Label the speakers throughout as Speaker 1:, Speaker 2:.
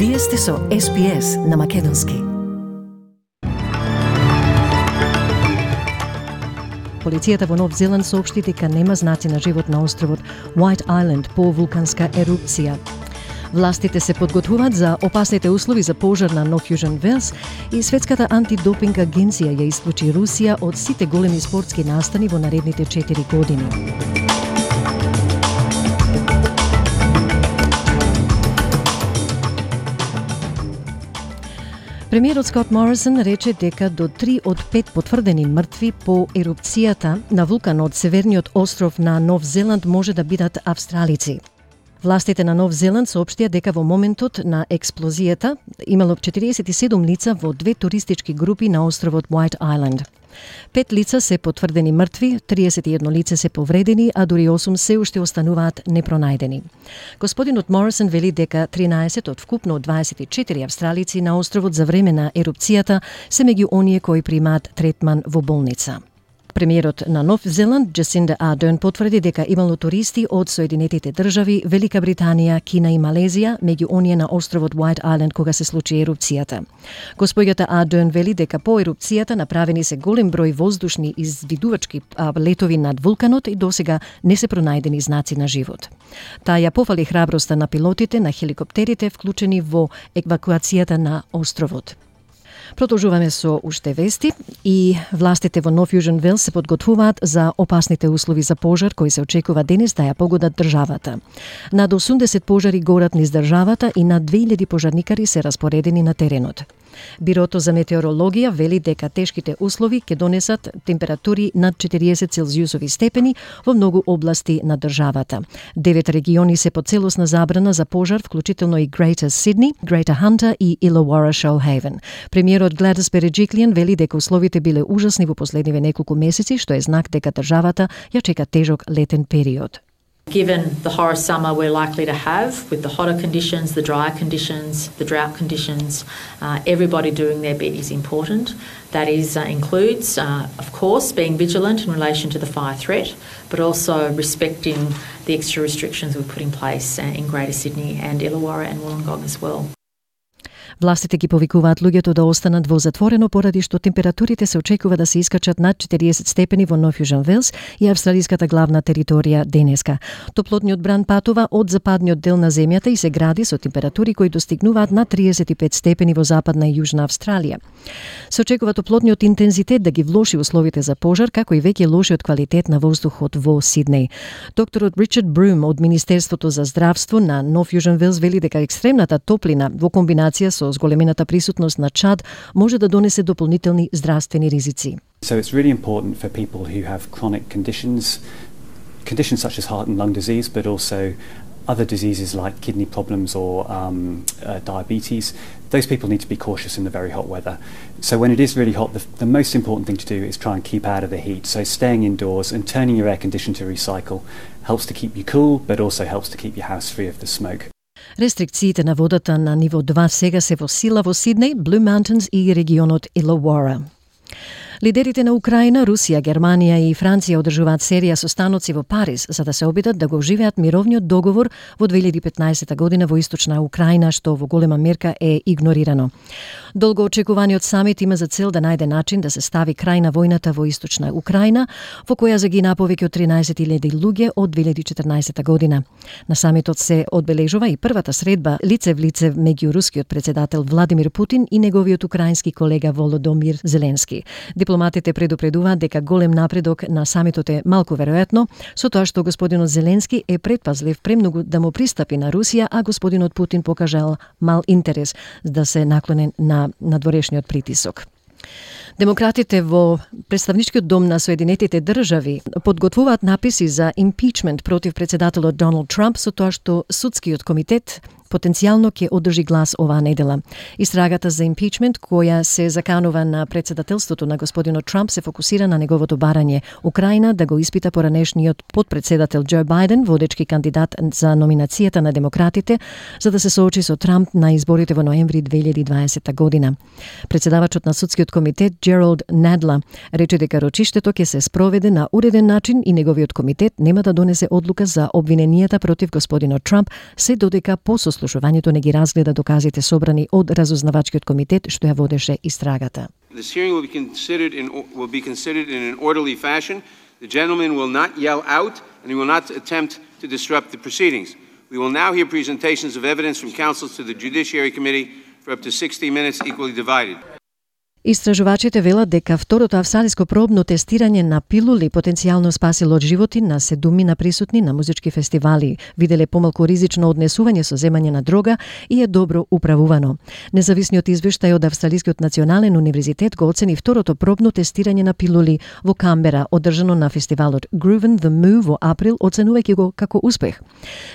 Speaker 1: Вие сте со SPS на Македонски. Полицијата во Нов Зеланд соопшти дека нема знаци на живот на островот White Island по вулканска ерупција. Властите се подготвуваат за опасните услови за пожар на Нов Јужен Велс и Светската антидопинг агенција ја исклучи Русија од сите големи спортски настани во наредните 4 години. Премиерот Скот Морисон рече дека до 3 од 5 потврдени мртви по ерупцијата на вулканот северниот остров на Нов Зеланд може да бидат австралици. Властите на Нов Зеланд соопштија дека во моментот на експлозијата имало 47 лица во 2 туристички групи на островот White Island. 5 лица се потврдени мртви, 31 лице се повредени, а дури 8 се уште остануваат непронајдени. Господинот Морисон вели дека 13 од вкупно 24 австралици на островот за време на ерупцијата се меѓу оние кои примаат третман во болница. Премиерот на Нов Зеланд, Джасинда Ардерн, потврди дека имало туристи од Соединетите држави, Велика Британија, Кина и Малезија, меѓу оние на островот White Island кога се случи ерупцијата. Госпоѓата Ардерн вели дека по ерупцијата направени се голем број воздушни извидувачки летови над вулканот и досега не се пронајдени знаци на живот. Таа ја пофали храброста на пилотите на хеликоптерите вклучени во евакуацијата на островот. Продолжуваме со уште вести и властите во Нов Јужен Велс се подготвуваат за опасните услови за пожар кои се очекува денес да ја погодат државата. Над 80 пожари горат низ државата и над 2000 пожарникари се распоредени на теренот. Бирото за метеорологија вели дека тешките услови ќе донесат температури над 40 целзиусови степени во многу области на државата. 9 региони се под целосна забрана за пожар, вклучително и Greater Sydney, Greater Hunter и Illawarra Shoalhaven. Премиерот Gladys Berejiklian вели дека условите биле ужасни во последниве неколку месеци, што е знак дека државата ја чека тежок летен период.
Speaker 2: Given the horror summer we're likely to have, with the hotter conditions, the drier conditions, the drought conditions, everybody doing their bit is important. That includes, of course, being vigilant in relation to the fire threat, but also respecting the extra restrictions we've put in place in Greater Sydney and Illawarra and Wollongong as well.
Speaker 1: Властите ги повикуваат луѓето да останат во затворено поради што температурите се очекува да се искачат над 40 степени во Нов Јужен Велс и австралиската главна територија денеска. Топлотниот бран патува од западниот дел на земјата и се гради со температури кои достигнуваат над 35 степени во западна и јужна Австралија. Се очекува топлотниот интензитет да ги влоши условите за пожар, како и веќе лошиот квалитет на воздухот во Сиднеј. Докторот Ричард Брум од Министерството за здравство на Нов Јужен Велс вели дека екстремната топлина во комбинација со зголемената присутност на чад може да донесе дополнителни здравствени ризици.
Speaker 3: So it's really important for people who have chronic conditions such as heart and lung disease, but also other diseases like kidney problems or diabetes. Those people need to be cautious in the very hot weather. So when it is really hot, the most important thing to do is try and keep out of the heat. So staying indoors and turning your air conditioner to recycle helps to keep you cool, but also helps to keep your house free of the smoke.
Speaker 1: Рестрикциите на водата на ниво 2 сега се во сила во Сиднеј, Blue Mountains и регионот Illawarra. Лидерите на Украина, Русија, Германија и Франција одржуваат серија состаноци во Париз за да се обидат да го оживеат мировниот договор во 2015 година во источна Украина, што во голема мерка е игнорирано. Долго очекуваниот самит има за цел да најде начин да се стави крај на војната во источна Украина, во која загина повеќе од 13.000 луѓе од 2014 година. На самитот се одбележува и првата средба лице в лице меѓу рускиот председател Владимир Путин и неговиот украински колега Володомир Зеленски. Дипломатите предупредуваат дека голем напредок на самитот е малку веројатно, со тоа што господинот Зеленски е предпазлив премногу да му пристапи на Русија, а господинот Путин покажал мал интерес да се наклонен на надворешниот притисок. Демократите во Представничкиот дом на Соединетите држави подготвуваат написи за импичмент против председателот Доналд Трамп со тоа што судскиот комитет потенцијално ќе одржи глас оваа недела. Истрагата за импичмент која се заканува на председателството на господинот Трамп се фокусира на неговото барање Украина да го испита поранешниот подпредседател Џо Бајден, водечки кандидат за номинацијата на демократите, за да се соочи со Трамп на изборите во ноември 2020 година. Председавачот на судскиот комитет Џо Gerald Nadler рече дека рочиштето ќе се спроведе на уреден начин и неговиот комитет нема да донесе одлука за обвиненијата против господинот Трамп, се додека по сослушувањето не ги разгледа доказите собрани од разузнавачкиот комитет што ја водеше истрагата.
Speaker 4: This hearing will be considered in an orderly fashion. The gentleman will not yell out and he will not attempt to disrupt the proceedings. We will now hear presentations of evidence from counsel to the Judiciary Committee for up to 60 minutes equally divided.
Speaker 1: Истражувачите велат дека второто австралиско пробно тестирање на пилули потенцијално спасило животи на 7 присутни на музички фестивали, виделе помалку ризично однесување со земање на дрога и е добро управувано. Независниот извештај од Австралискиот национален универзитет го оцени второто пробно тестирање на пилули во Камбера, одржано на фестивалот Grooven the Move во април, оценувајќи го како успех.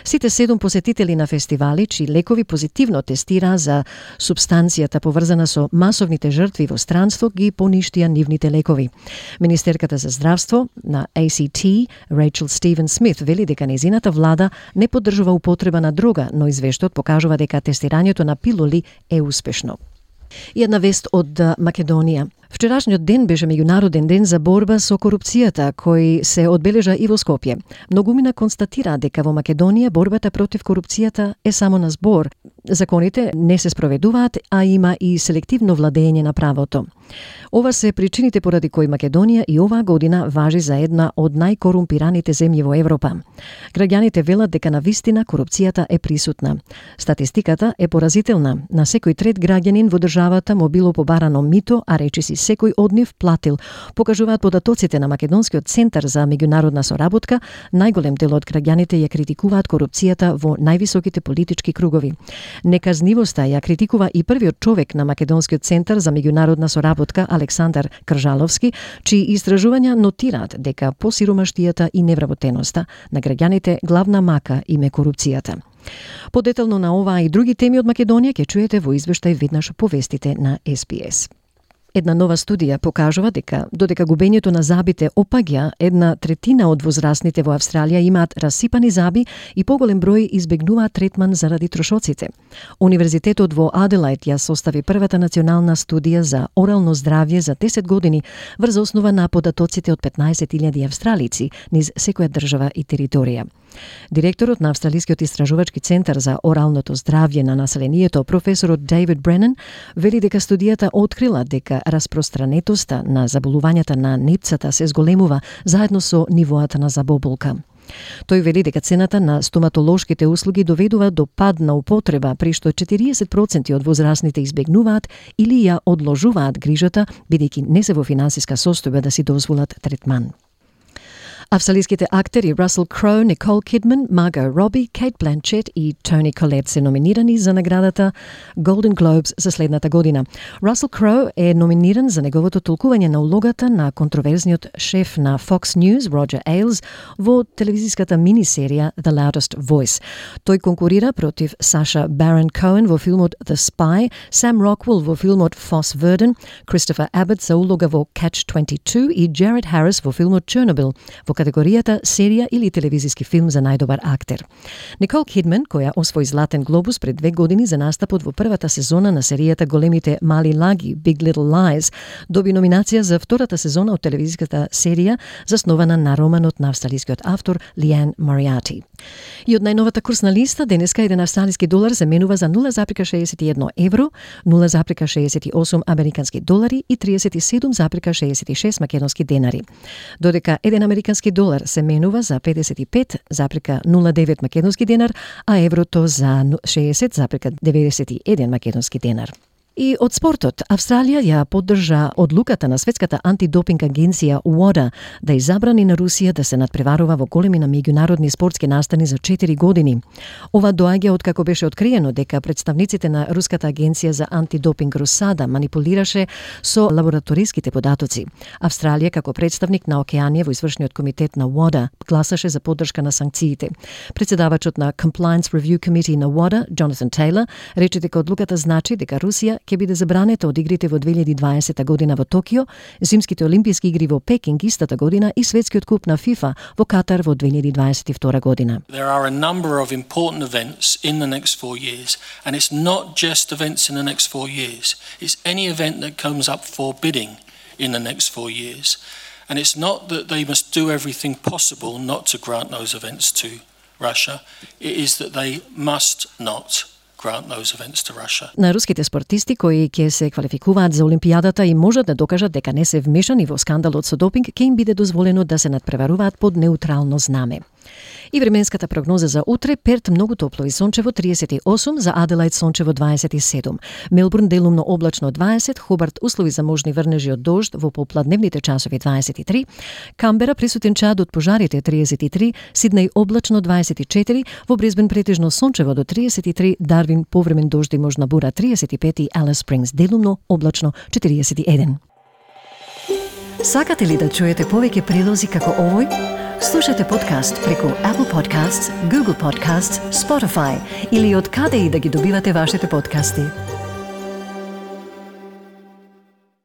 Speaker 1: Сите 7 посетители на фестивали, чии лекови позитивно тестираа за супстанцијата поврзана со масовните жртви во странство, ги поништија нивните лекови. Министерката за здравство на ACT, Рейчел Стивен Смит, вели дека незината влада не поддржува употреба на дрога, но извештајот покажува дека тестирањето на пилули е успешно. И една вест од Македонија. Вчерашниот ден беше меѓународен ден за борба со корупцијата, кој се одбележа и во Скопје. Многумина констатира дека во Македонија борбата против корупцијата е само на збор. Законите не се спроведуваат, а има и селективно владење на правото. Ова се причините поради кои Македонија и оваа година важи за една од најкорумпираните земји во Европа. Граѓаните велат дека навистина корупцијата е присутна. Статистиката е поразителна. На секој трет граѓанин во државата му било побарано мито, а речиси секој од нив платил. Покажуваат податоците на Македонскиот центар за меѓународна соработка, најголем дел од граѓаните ја критикуваат корупцијата во највисоките политички кругови. Неказнивоста ја критикува и првиот човек на Македонскиот центар за меѓународна соработка Александар Кржаловски, чии истражувања нотираат дека по сиромаштијата и невработеноста на граѓаните главна мака им е корупцијата. Подетално на оваа и други теми од Македонија ќе чуете во извештај веднаш по вестите на SBS. Една нова студија покажува дека додека губењето на забите опаѓа, 1/3 од возрастните во Австралија имаат расипани заби и поголем број избегнуваат третман заради трошоците. Универзитетот во Аделајд ја состави првата национална студија за орално здравје за 10 години врз основа на податоците од 15.000 австралици низ секоја држава и територија. Директорот на Австралискиот истражувачки центар за оралното здравје на населението, професорот Дейвид Бренан, вели дека студијата открила дека распространетоста на заболувањата на непцата се зголемува заедно со нивоата на забоболка. Тој вели дека цената на стоматолошките услуги доведува до пад на употреба, при што 40% од возрастните избегнуваат или ја одложуваат грижата, бидејќи не се во финансиска состојба да си дозволат третман. Австралиските актери Russell Crowe, Nicole Kidman, Margot Robbie, Kate Blanchett и Toni Collette се номинирани за наградата Golden Globes за следната година. Russell Crowe е номиниран за неговото толкување на улогата на контроверзниот шеф на Fox News, Roger Ailes, во телевизиската минисерија The Loudest Voice. Тој конкурира против Sacha Baron Cohen во филмот The Spy, Sam Rockwell во филмот Foss Verdon, Christopher Abbott за улога во Catch-22 и Jared Harris во филмот Chernobyl, во категоријата серија или телевизиски филм за најдобар актер. Никол Кидман, која освои Златен глобус пред 2 години за настапот во првата сезона на серијата Големите мали лаги, Big Little Lies, доби номинација за втората сезона од телевизиската серија заснована на романот на австралискиот автор Лиан Мориарти. И од најновата курсна листа, денеска еден австралиски долар се менува за 0,61 евро, 0,68 американски долари и 37,66 македонски денари. Додека еден американски долар се менува за 55,09 македонски денар, а еврото за 60,91 македонски денар. И од спортот, Австралија ја поддржа одлуката на Светската антидопинг агенција WADA да ја забрани на Русија да се надпреварува во големи на меѓународни спортски настани за 4 години. Ова доаѓа од како беше откриено дека представниците на Руската агенција за антидопинг Русада манипулираше со лабораториските податоци. Австралија како представник на Океанија во извршниот комитет на WADA гласаше за поддршка на санкциите. Председавачот на Compliance Review Committee на WADA, Jonathan Taylor, рече дека одлуката значи дека Русија ќе биде забранета од игрите во 2020 година во Токио, зимските олимписки игри во Пекинг истата година и светскиот куп на FIFA во Катар во 2022 година.
Speaker 5: There are a number of important events in the next 4 years, and it's not just events in the next 4 years. It's any event that comes up for bidding in the next 4 years. And it's not that they must do everything possible not to grant those events to Russia. It is that they must not grant those events to Russia.
Speaker 1: На руските спортисти кои ќе се квалификуваат за Олимпијадата и можат да докажат дека не се вмешани во скандалот со допинг, ќе им биде дозволено да се надпреваруваат под неутрално знаме. И временската прогноза за утре: Перт многу топло и сончево 38, за Аделаид сончево 27, Мелбурн делумно облачно 20, Хобарт услови за можни врнежи од дожд во попладневните часови 23, Камбера присутен чад од пожарите 33, Сиднеј облачно 24, во Брисбен претежно сончево до 33, Дарвин повремен дожд и можна бура 35 и Алис Спрингс делумно облачно 41. Сакате ли да чуете повеќе прилози како овој? Слушате подкаст преку Apple Podcasts, Google Podcasts, Spotify или од каде и да ги добивате вашите подкасти.